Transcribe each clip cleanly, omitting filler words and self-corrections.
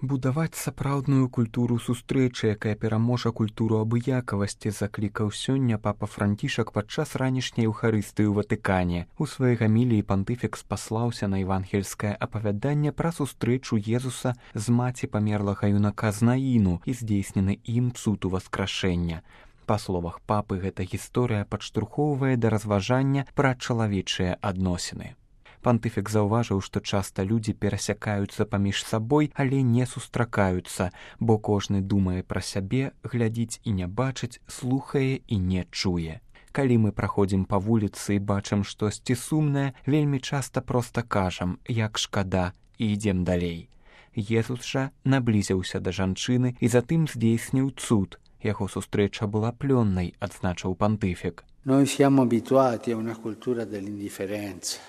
Будаваць сапраўдную культуру сустрэчы, якая пераможа культуру абыякавасці, заклікаў сёння папа Францішак падчас ранішняй еўхарыстыі ў Ватыкане. У сваёй гаміліі пантыфік спаслаўся на евангельскае апавяданне пра сустрэчу Езуса з маці памерлага юнака Знаіну і здзейснены ім цуд уваскрашэння. Па словах папы, гэта гісторыя падштурхоўвае да разважання пра чалавечыя адносіны. Пантыфік заўважыў, што часта людзі перасякаюцца паміж сабой, але не сустракаюцца, бо кожны думае пра сябе, глядзіць і не бачыць, слухае і не чуе. Калі мы праходзім па вуліцы і бачым штосьці сумнае, вельмі часта проста кажам, як шкада, і ідзем далей. Езус жа наблізіўся да жанчыны і затым здзейсніў цуд. Яго сустрэча была плённай, адзначыў пантыфік. Noi siamo abituati a una cultura dell'indifferenza.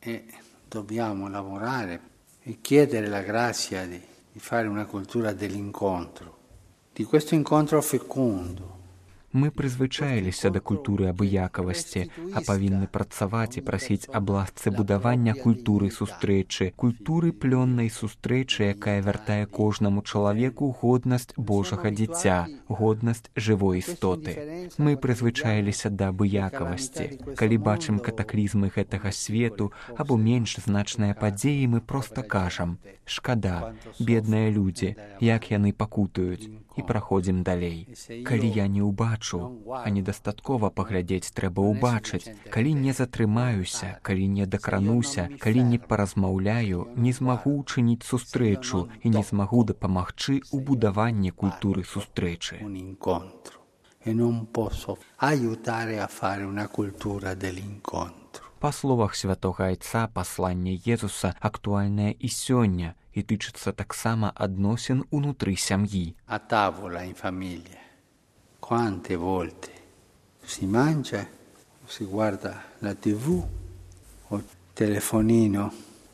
E dobbiamo lavorare e chiedere la grazia di fare una cultura dell'incontro, di questo incontro fecondo. Мы прызвычаіліся да культуры абыякавасці, а павінны працаваць і прасіць аб ласцы будавання культуры сустрэчы, культуры плённай сустрэчы, якая вяртае кожнаму чалавеку годнасць Божага дзіця, годнасць жывой істоты. Мы прызвычаіліся да абыякавасці. Калі бачым катаклізмы гэтага свету або менш значныя падзеі, мы проста кажам: шкада, бедныя людзі, як яны пакутаюць, і праходзім далей. Калі я не ўбачу, а недастаткова паглядзець трэба ўбачыць. Калі не затрымаюся, калі не дакрануся, калі не паразмаўляю, не змагу ўчыніць сустрэчу і не змагу дапамагчы ў будаванні культуры сустрэчы. Па словах святога Айца, пасланне Езуса актуальнае і сёння і тычыцца таксама адносін унутры сям'і. A tavola in famiglia. Quante volte si mangia, si guarda la TV o il telefonino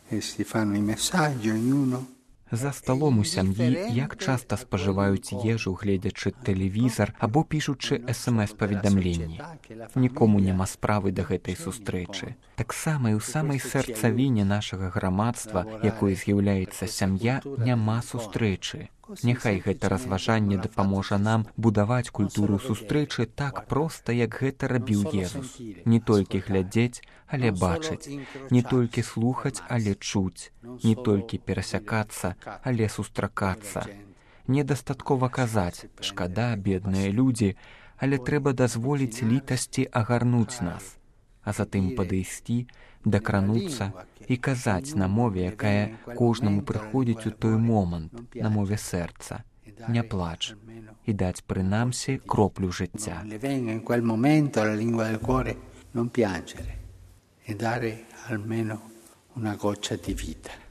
e si fanno i messaggi ognuno. За сталом у сям'і як часта спажываюць ежу, гледзячы тэлевізар або пішучы СМС-паведамленні. Нікому няма справы да гэтай сустрэчы. Таксама і ў самай сэрцавіне нашага грамадства, якой з'яўляецца сям'я, няма сустрэчы. Няхай гэта разважанне дапаможа нам будаваць культуру сустрэчы так проста, як гэта рабіў Езус. Не толькі глядзець, але бачыць. Не толькі слухаць, але чуць. Не толькі перасякацца, але сустракацца. Недастаткова казаць: шкада, бедныя людзі, але трэба дазволіць літасці агарнуць нас, а затым падысці, дакрануцца і казаць на мове, якая кожнаму прыходзіць у той момант, на мове сэрца. Не плач. І даць прынамсі кроплю жыцця.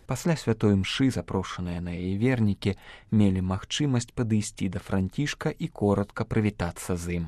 Пасля святой імшы запрошаныя на яе вернікі мелі магчымасць падысці да Францішка і коратка прывітацца з ім.